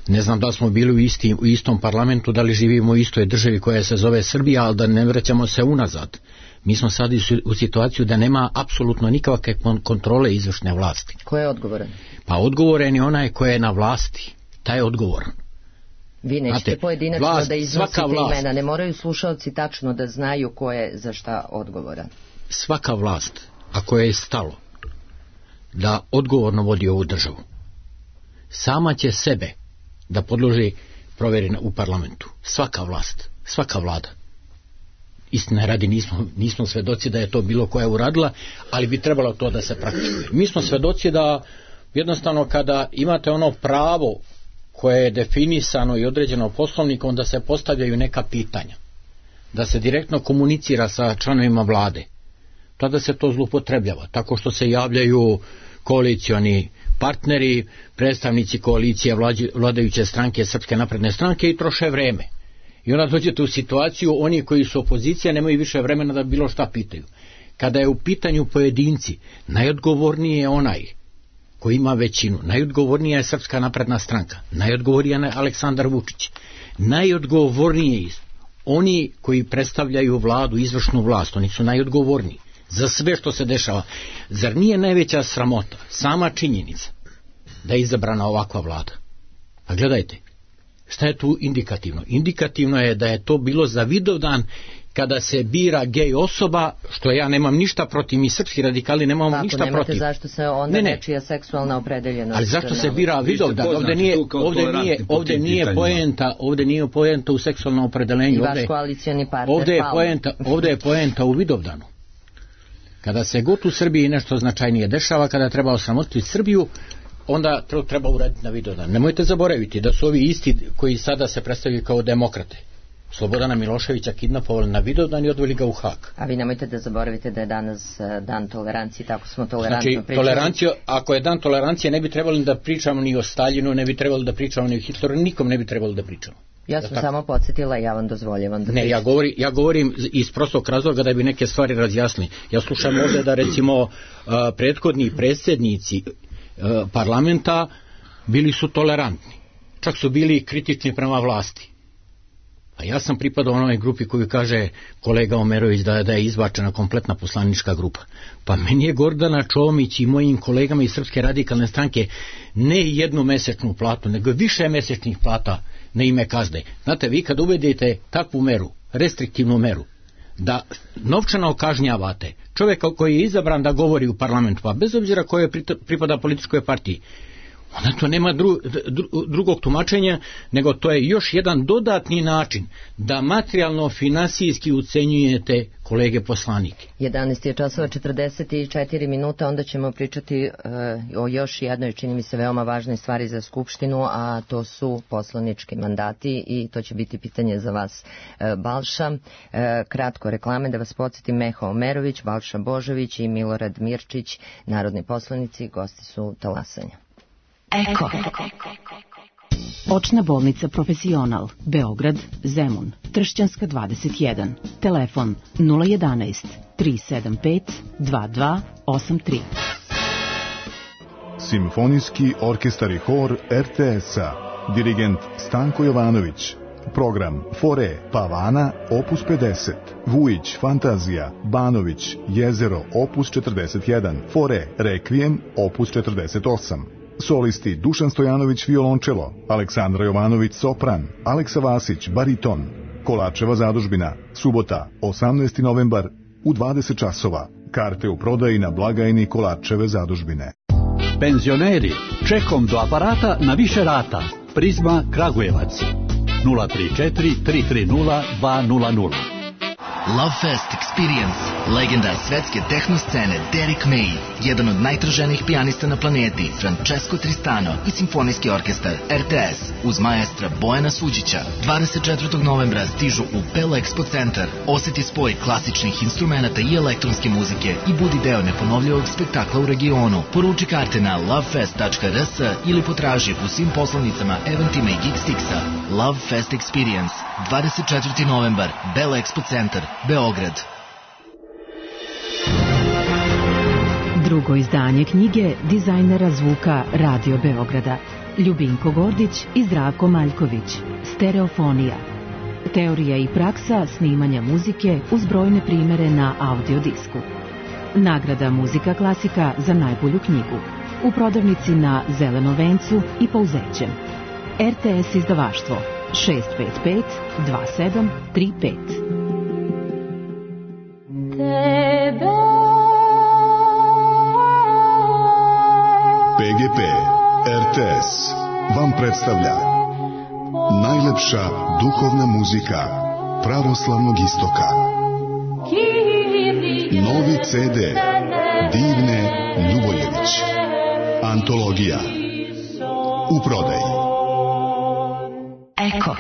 Ne znam da smo bili u istom parlamentu, da li živimo u istoj državi koja se zove Srbija, ali da ne vraćamo se unazad. Mi smo sad u situaciju da nema apsolutno nikakve kontrole izvršne vlasti. Ko je odgovoran? Pa odgovoran je onaj ko je na vlasti. Taj je odgovoran. Vi nećete pojedinačno da iznosite imena, ne moraju slušalci tačno da znaju ko je za šta odgovoran. Svaka vlast, ako je stalo da odgovorno vodi ovu državu, sama će sebe da podloži provjeri u parlamentu. Svaka vlast, svaka vlada. Istina radi, nismo svedoci da je to bilo koja uradila, ali bi trebalo to da se praktikuje. Mi smo svedoci da jednostavno kada imate ono pravo koje je definisano i određeno poslovnikom, da se postavljaju neka pitanja, da se direktno komunicira sa članovima vlade, tada se to zloupotrebljava, tako što se javljaju koalicioni partneri, predstavnici koalicije vladajuće stranke, Srpske napredne stranke, i troše vreme. I onda dođete u situaciju, oni koji su opozicija nemaju više vremena da bilo šta pitaju. Kada je u pitanju pojedinci, najodgovorniji je onaj koji ima većinu, najodgovornija je Srpska napredna stranka, najodgovornija je Aleksandar Vučić, najodgovorniji oni koji predstavljaju vladu, izvršnu vlast, oni su najodgovorniji za sve što se dešava. Zar nije najveća sramota sama činjenica da je izabrana ovakva vlada? Pa gledajte, šta je tu indikativno? Indikativno je da je to bilo za Vidovdan kada se bira gej osoba, što ja nemam ništa protiv, mi srpski radikali nemamo ništa protiv. Nemate zašto se onda nečija seksualna opredeljenost. Ali zašto se bira Vidovdan? Ovdje nije poenta u seksualnom opredeljenju. I vaš koalicioni partner. Ovdje je poenta u Vidovdanu. Kada se god u Srbiji nešto značajnije dešava, kada treba osramotiti Srbiju, onda to treba uraditi na Vidovdan. Nemojte zaboraviti da su ovi isti koji sada se predstavljaju kao demokrate Slobodana Miloševića kidnapovali na Vidovdan i odveli ga u Hag. A vi nemojte da zaboravite da je danas dan tolerancije, tako smo tolerantno pričali. Ako je dan tolerancije, ne bi trebali da pričamo ni o Staljinu, ne bi trebali da pričamo ni o Hitleru, nikom ne bi trebali da pričamo. Ja sam samo podsjetila, ja vam dozvoljavam da pričam. Ne, ja govorim iz prostog razloga da bi neke stvari razjasnili. Ja slušam ovdje da recimo prethodni predsjednici parlamenta bili su tolerantni. Čak su bili kritični prema vlasti. A ja sam pripadao onoj grupi koju kaže kolega Omerović da je izbačena kompletna poslanička grupa. Pa meni je Gordana Čomić i mojim kolegama iz Srpske radikalne stranke ne jednu mesečnu platu, nego više mesečnih plata na ime kazne. Znate, vi kad uvedete takvu meru, restriktivnu meru, da novčano kažnjavate čovjeka koji je izabran da govori u parlamentu, pa bez obzira koje pripada političkoj partiji, onda to nema drugog tumačenja, nego to je još jedan dodatni način da materijalno finansijski ucenjujete kolege poslanike. 11 je časova 44 minuta, onda ćemo pričati o još jednoj, čini mi se, veoma važnoj stvari za Skupštinu, a to su poslanički mandati i to će biti pitanje za vas, Balša. Kratko reklame, da vas podsjetim, Meho Omerović, Balša Božović i Milorad Mirčić, narodni poslanici, gosti su talasanja. Eko. Očna bolnica Profesional, Beograd, Zemun, Tršćanska 21, telefon 011 375 2283. Simfonijski orkestar i hor RTS-a, dirigent Stanko Jovanović, program Fore, Pavana, opus 50, Vujić, Fantazija, Banović, Jezero, opus 41, Fore, Rekvijem, opus 48. Solisti Dušan Stojanović violončelo, Aleksandra Jovanović sopran, Aleksa Vasić bariton. Kolačeva zadužbina, subota 18. novembar u 20 časova. Karte u prodaji na blagajni Kolačeve zadužbine. Penzioneri, čekom do aparata na više rata. Prizma Kragujevac 034 330 200. Love Fest Experience, legenda svetske tehno scene Derek May, jedan od najtraženijih pijanista na planeti, Francesco Tristano i simfonijski orkestar RTS uz maestra Bojana Suđića. 24. novembra stižu u Pel Expo Centar. Osjeti spoj klasičnih instrumenta i elektronske muzike i budi deo neponovljivog spektakla u regionu. Poruči karte na lovefest.rs ili potraži u svim poslovnicama Eventima i Geekstixa. Love Fest Experience, 24. novembar, Bell Expo Centar, Beograd. Drugo izdanje knjige dizajnera zvuka Radio Beograda Ljubinko Gordić i Zdravko Maljković. Stereofonija. Teorija i praksa snimanja muzike uz brojne primere na audiodisku. Nagrada Muzika klasika za najbolju knjigu. U prodavnici na Zelenom vencu i Pouzećem. RTS izdavaštvo 655 2735. PGP RTS vam predstavlja najlepša duhovna muzika pravoslavnog istoka. Novi CD Divne Ljuboljević. Antologija. U prodaji. Eko.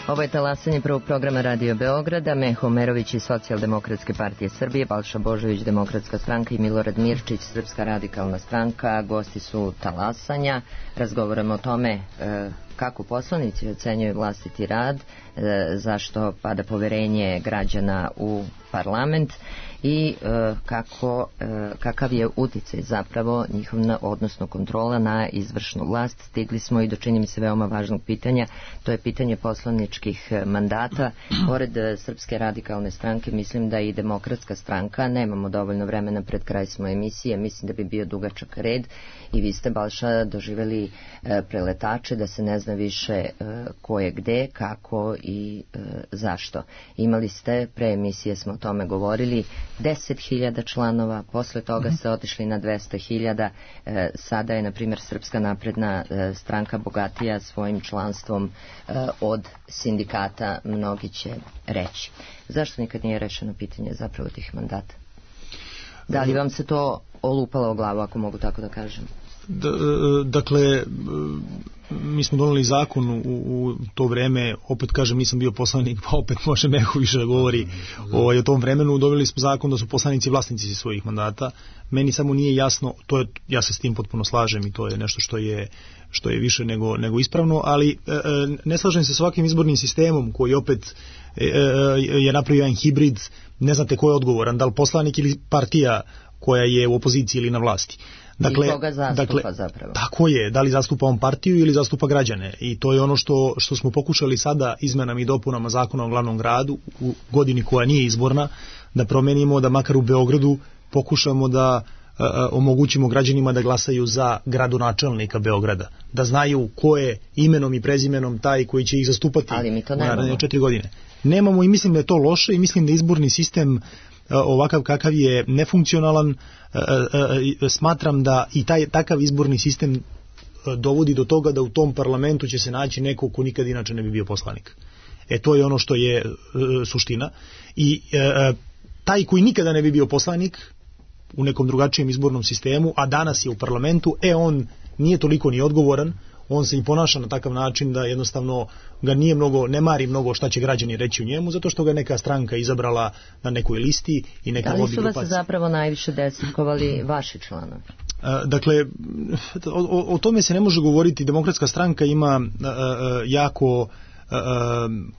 Ovo je talasanje prvog programa Radio Beograda. Meho Omerović iz Socijaldemokratske partije Srbije, Balša Božović, Demokratska stranka i Milorad Mirčić, Srpska radikalna stranka. Gosti su talasanja. Razgovaramo o tome kako poslanici ocenjuju vlastiti rad, zašto pada poverenje građana u parlament i kakav je uticaj zapravo njihov, odnosno kontrola na izvršnu vlast. Stigli smo i do, čini mi se, veoma važnog pitanja, to je pitanje poslaničkih mandata. Pored Srpske radikalne stranke, mislim da i Demokratska stranka, nemamo dovoljno vremena, pred kraj smo emisije, mislim da bi bio dugačak red i vi ste, Balša, doživjeli preletače, da se ne zna više ko je gde, kako i zašto. Imali ste, pre emisije smo o tome govorili, 10.000 članova, posle toga ste otišli na 200.000, sada je, na primjer, Srpska napredna stranka bogatija svojim članstvom od sindikata, mnogi će reći. Zašto nikad nije rešeno pitanje zapravo tih mandata? Da li vam se to olupalo o glavu, ako mogu tako da kažem? Dakle, mi smo doneli zakon u to vreme, opet kažem, nisam bio poslanik, pa opet može Meho više da govori o tom vremenu. Doneli smo zakon da su poslanici vlasnici svojih mandata. Meni samo nije jasno, ja se s tim potpuno slažem i to je nešto što je više nego ispravno, ali ne slažem se s ovakvim izbornim sistemom koji opet je napravio jedan hibrid, ne znate ko je odgovoran, da li poslanik ili partija koja je u opoziciji ili na vlasti. Dakle, i koga zastupa zapravo. Tako je, da li zastupa on partiju ili zastupa građane. I to je ono što smo pokušali sada izmenama i dopunama zakona o glavnom gradu u godini koja nije izborna, da promenimo, da makar u Beogradu pokušamo da omogućimo građanima da glasaju za gradonačelnika Beograda, da znaju ko je imenom i prezimenom taj koji će ih zastupati u naredne 4 godine. Nemamo i mislim da je to loše i mislim da izborni sistem ovakav kakav je nefunkcionalan, smatram da i takav izborni sistem dovodi do toga da u tom parlamentu će se naći neko ko nikad inače ne bi bio poslanik. To je ono što je suština. I taj koji nikada ne bi bio poslanik u nekom drugačijem izbornom sistemu, a danas je u parlamentu, on nije toliko ni odgovoran, on se i ponaša na takav način da jednostavno ga ne mari mnogo šta će građani reći u njemu, zato što ga neka stranka izabrala na nekoj listi i neka lobby grupacija. Da li su vas zapravo najviše desetkovali vaši članovi? Dakle, o tome se ne može govoriti. Demokratska stranka ima jako,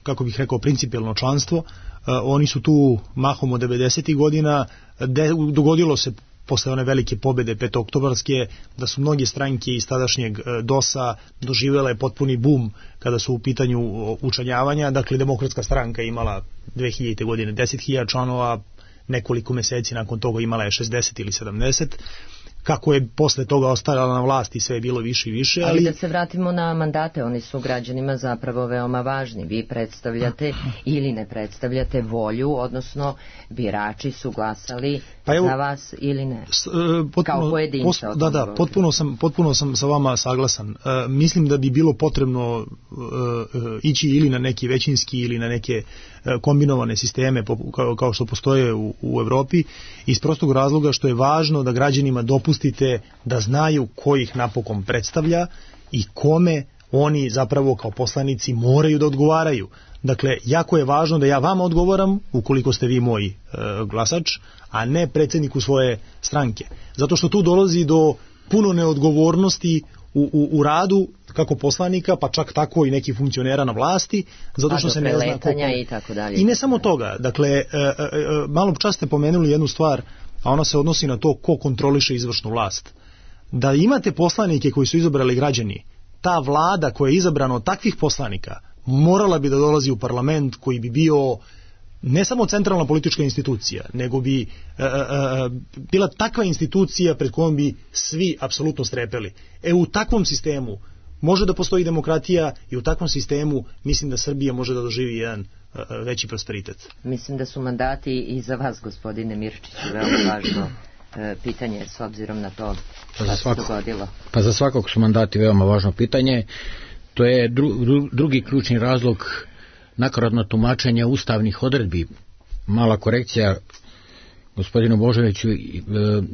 kako bih rekao, principijelno članstvo. Oni su tu mahom od 90. godina. Dogodilo se posle one velike pobede petooktobarske da su mnoge stranke iz tadašnjeg DOS-a doživjele potpuni bum kada su u pitanju učlanjavanja. Dakle, Demokratska stranka imala 2000. godine 10.000 članova, nekoliko meseci nakon toga imala je 60 ili 70. Kako je posle toga ostajala na vlasti, sve je bilo više i više. Ali da se vratimo na mandate, oni su građanima zapravo veoma važni. Vi predstavljate ili ne predstavljate volju, odnosno birači su glasali za vas ili ne, kao pojedinca. Potpuno sam sa vama saglasan. Mislim da bi bilo potrebno ići ili na neki većinski ili na neke kombinovane sisteme kao što postoje u Evropi, iz prostog razloga što je važno da građanima dopustite da znaju ko ih napokon predstavlja i kome oni zapravo kao poslanici moraju da odgovaraju. Dakle, jako je važno da ja vama odgovaram ukoliko ste vi moj glasač, a ne predsjedniku svoje stranke. Zato što tu dolazi do puno neodgovornosti u radu kako poslanika, pa čak tako i nekih funkcionera na vlasti, zato što se ne zna i tako dalje. I ne samo toga. Dakle, malo čas ste pomenuli jednu stvar, a ona se odnosi na to ko kontroliše izvršnu vlast. Da imate poslanike koji su izabrali građani, ta vlada koja je izabrana od takvih poslanika morala bi da dolazi u parlament koji bi bio ne samo centralna politička institucija, nego bi bila takva institucija pred kojom bi svi apsolutno strepeli. U takvom sistemu može da postoji demokratija i u takvom sistemu mislim da Srbija može da doživi jedan veći prosperitet. Mislim da su mandati i za vas, gospodine Mirčiću, veoma važno pitanje s obzirom na to što se dogodilo. Pa za svakog su mandati veoma važno pitanje. To je drugi ključni razlog nakaradno tumačenje ustavnih odredbi. Mala korekcija, gospodinu Božoviću,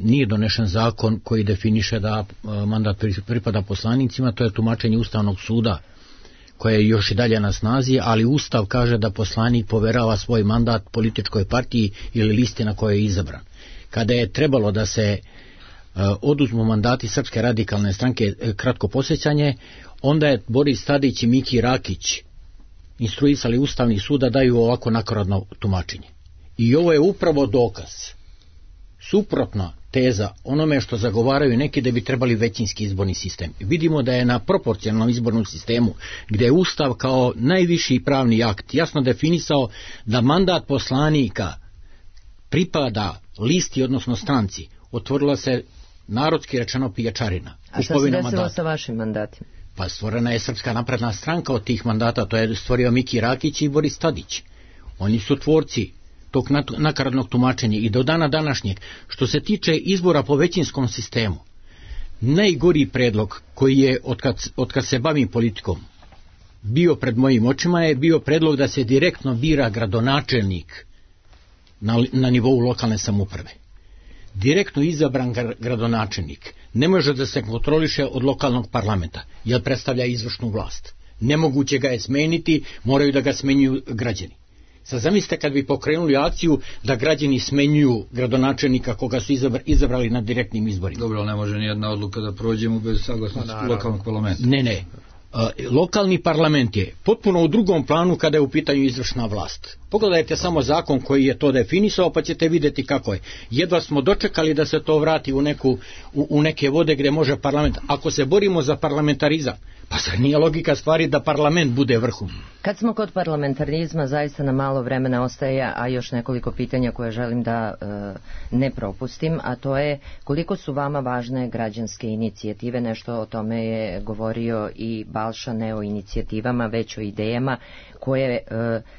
nije donešen zakon koji definiše da mandat pripada poslanicima, to je tumačenje Ustavnog suda koje je još i dalje na snazi, ali Ustav kaže da poslanik poverava svoj mandat političkoj partiji ili listi na kojoj je izabran. Kada je trebalo da se oduzmu mandati Srpske radikalne stranke, kratko posjećanje, onda je Boris Tadić i Miki Rakić instruisali Ustavni sud da daju ovako nakaradno tumačenje. I ovo je upravo dokaz, suprotna teza onome što zagovaraju neki da bi trebali većinski izborni sistem. Vidimo da je na proporcionalnom izbornom sistemu, gdje je Ustav kao najviši pravni akt jasno definisao da mandat poslanika pripada listi, odnosno stranci, otvorila se narodski rečeno pijačarina. A šta se desilo sa vašim mandatima? Pa stvorena je Srpska napredna stranka od tih mandata, to je stvorio Miki Rakić i Boris Tadić. Oni su tvorci tog nakaradnog tumačenja i do dana današnjeg. Što se tiče izbora po većinskom sistemu, najgori predlog koji je od kad se bavim politikom bio pred mojim očima je bio predlog da se direktno bira gradonačelnik na nivou lokalne samouprave. Direktno izabran gradonačelnik ne može da se kontroliše od lokalnog parlamenta, jer predstavlja izvršnu vlast. Nemoguće ga je smeniti, moraju da ga smenjuju građani. Sad zamislite kad bi pokrenuli akciju da građani smenjuju gradonačelnika koga su izabrali na direktnim izborima. Dobro, ali ne može nijedna odluka da prođemo bez saglasnosti lokalnog parlamenta. Ne. Lokalni parlament je potpuno u drugom planu kada je u pitanju izvršna vlast. Pogledajte samo zakon koji je to definisao pa ćete vidjeti kako je. Jedva smo dočekali da se to vrati u neke vode gdje može parlament. Ako se borimo za parlamentarizam, pa zar nije logika stvari da parlament bude vrhu? Kad smo kod parlamentarizma, zaista na malo vremena ostaje, a još nekoliko pitanja koje želim da ne propustim, a to je koliko su vama važne građanske inicijative, nešto o tome je govorio i Balša, ne o inicijativama, već o idejama koje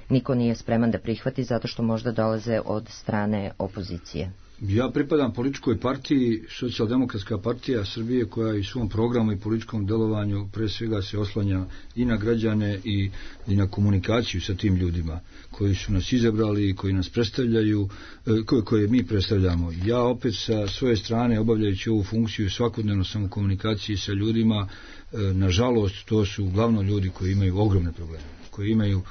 niko nije spreman spreman da prihvati zato što možda dolaze od strane opozicije? Ja pripadam političkoj partiji, Socijaldemokratska partija Srbije, koja i svom programu i političkom delovanju pre svega se oslanja i na građane i na komunikaciju sa tim ljudima koji su nas izabrali i koji nas predstavljaju, koje mi predstavljamo. Ja opet sa svoje strane, obavljajući ovu funkciju, svakodnevno sam u komunikaciji sa ljudima. Nažalost, to su uglavnom ljudi koji imaju ogromne probleme, koji imaju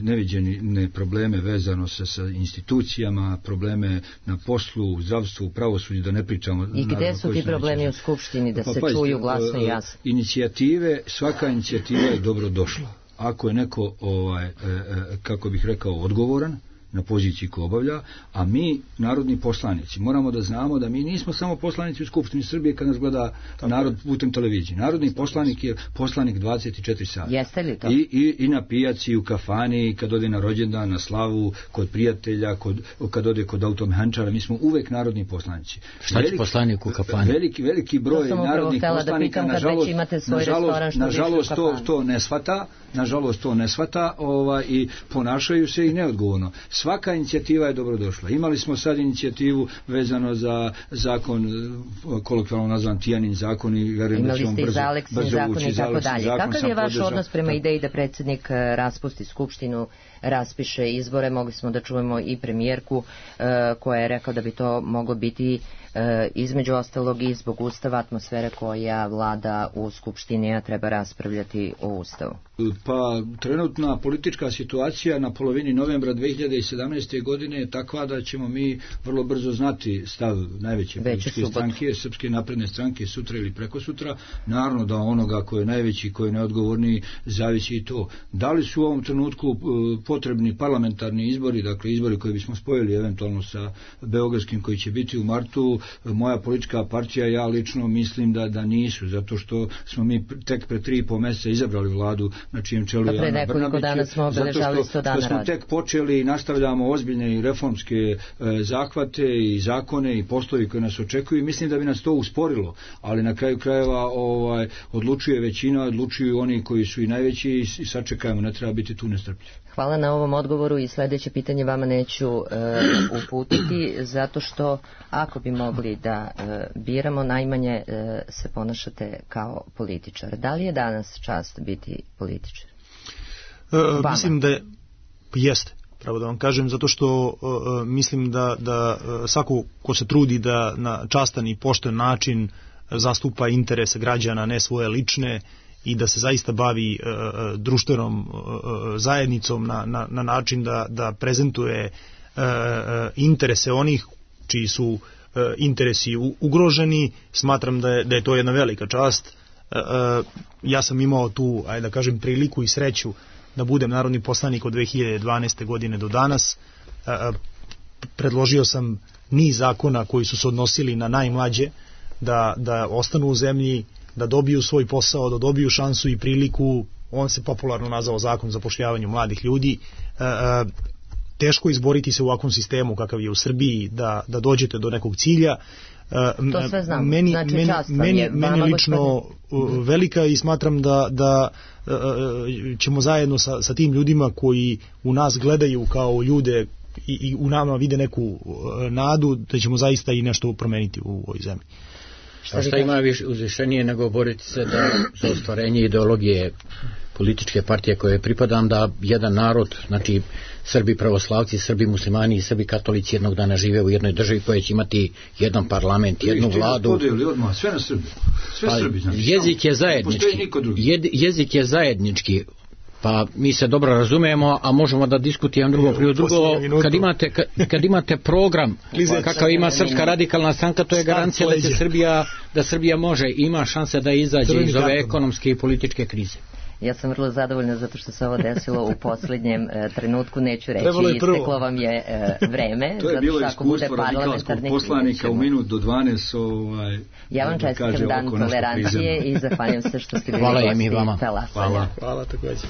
neviđene probleme vezano sa institucijama, probleme na poslu, u zdravstvu, u pravosuđu, da ne pričamo. I gde su ti problemi u Skupštini, da se čuju glasno i jasno? Inicijative, svaka inicijativa je dobro došla. Ako je neko, kako bih rekao, odgovoran na poziciji koju obavlja, a mi, narodni poslanici, moramo da znamo da mi nismo samo poslanici u Skupštini Srbije kad nas gleda narod putem televizije. Narodni poslanik je poslanik 24 sata. Jeste li to? I na pijaci, u kafani, kad ode na rođendan, na slavu, kod prijatelja, kad ode kod automehančara, mi smo uvek narodni poslanici. Šta će poslanik u kafani? Veliki broj narodnih poslanika, nažalost to ne shvata i ponašaju se i neodgovorno. Svaka inicijativa je dobrodošla. Imali smo sad inicijativu vezano za zakon, kolokvijalno nazvan Tijanin zakon, i verujem da ćemo brzo ući. Kakav je vaš odnos prema ideji da predsjednik raspusti Skupštinu, raspiše izbore? Mogli smo da čujemo i premijerku koja je rekla da bi to moglo biti između ostalog i zbog Ustava, atmosfere koja vlada u Skupštini, a treba raspravljati o Ustavu. Pa trenutna politička situacija na polovini novembra 2017. godine je takva da ćemo mi vrlo brzo znati stav najveće političke stranke, Srpske napredne stranke, sutra ili prekosutra. Naravno da onoga koji je najveći, koji je neodgovorniji, zavisi i to. Da li su u ovom trenutku potrebni parlamentarni izbori, dakle izbori koji bismo spojili eventualno sa beogradskim koji će biti u martu? Moja politička partija, ja lično mislim da nisu, zato što smo mi tek pre 3,5 mjeseca izabrali vladu na čijem čelu je Ana Brnabić, zato što smo tek počeli i nastavljamo ozbiljne i reformske zahvate i zakone i poslovi koji nas očekuju, i mislim da bi nas to usporilo, ali na kraju krajeva odlučuje većina, odlučuju oni koji su i najveći, i sačekajmo, ne treba biti tu nestrpljiv. Hvala na ovom odgovoru, i sljedeće pitanje vama neću uputiti, zato što ako bi mogli da biramo, najmanje se ponašate kao političar. Da li je danas čast biti političar? Mislim da jeste, pravo da vam kažem, zato što mislim da svako ko se trudi da na častan i pošten način zastupa interese građana, ne svoje lične, i da se zaista bavi društvenom zajednicom na način da prezentuje interese onih čiji su interesi ugroženi, smatram da je to jedna velika čast. Ja sam imao tu, ajde da kažem, priliku i sreću da budem narodni poslanik od 2012. godine do danas. Predložio sam niz zakona koji su se odnosili na najmlađe, da ostanu u zemlji, da dobiju svoj posao, da dobiju šansu i priliku. On se popularno nazvao zakon o zapošljavanju mladih ljudi. Teško izboriti se u ovakvom sistemu kakav je u Srbiji, da dođete do nekog cilja. To sve znam. Meni lično velika, i smatram da ćemo zajedno sa tim ljudima koji u nas gledaju kao ljude i u nama vide neku nadu, da ćemo zaista i nešto promeniti u ovoj zemlji. Šta ima uzvišenije nego boriti se za ostvarenje ideologije političke partije koje pripadam, da jedan narod, znači Srbi pravoslavci, Srbi muslimani i Srbi katolici jednog dana žive u jednoj državi koja će imati jedan parlament, jednu vladu. Sve na Srbi. Jezik je zajednički. Pa mi se dobro razumijemo, a možemo da diskutujemo drugo. Kad imate program kakav ima Srpska radikalna stranka, to je garancija da Srbija može, ima šanse da izađe iz ove ekonomske i političke krize. Ja sam vrlo zadovoljna zato što se ovo desilo u posljednjem trenutku, neću reći, isteklo vam je vreme. To je bilo iskustvo radikalskog poslanika u minut do 12. Ja vam čestitam dan tolerancije i zahvaljujem se što ste bili gosti. Hvala i mi vama. Hvala također.